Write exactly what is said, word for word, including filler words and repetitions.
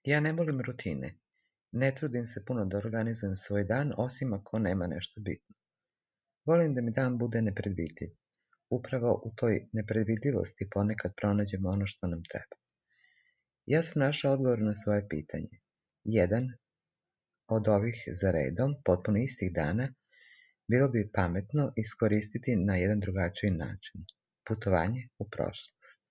Ja ne volim rutine. Ne trudim se puno da organizujem svoj dan, osim ako nema nešto bitno. Volim da mi dan bude nepredvidljiv. Upravo u toj nepredvidljivosti ponekad pronađemo ono što nam treba. Ja sam našla odgovor na svoje pitanje. Jedan od ovih za redom, potpuno istih dana, bilo bi pametno iskoristiti na jedan drugačiji način. Putovanje u prošlost.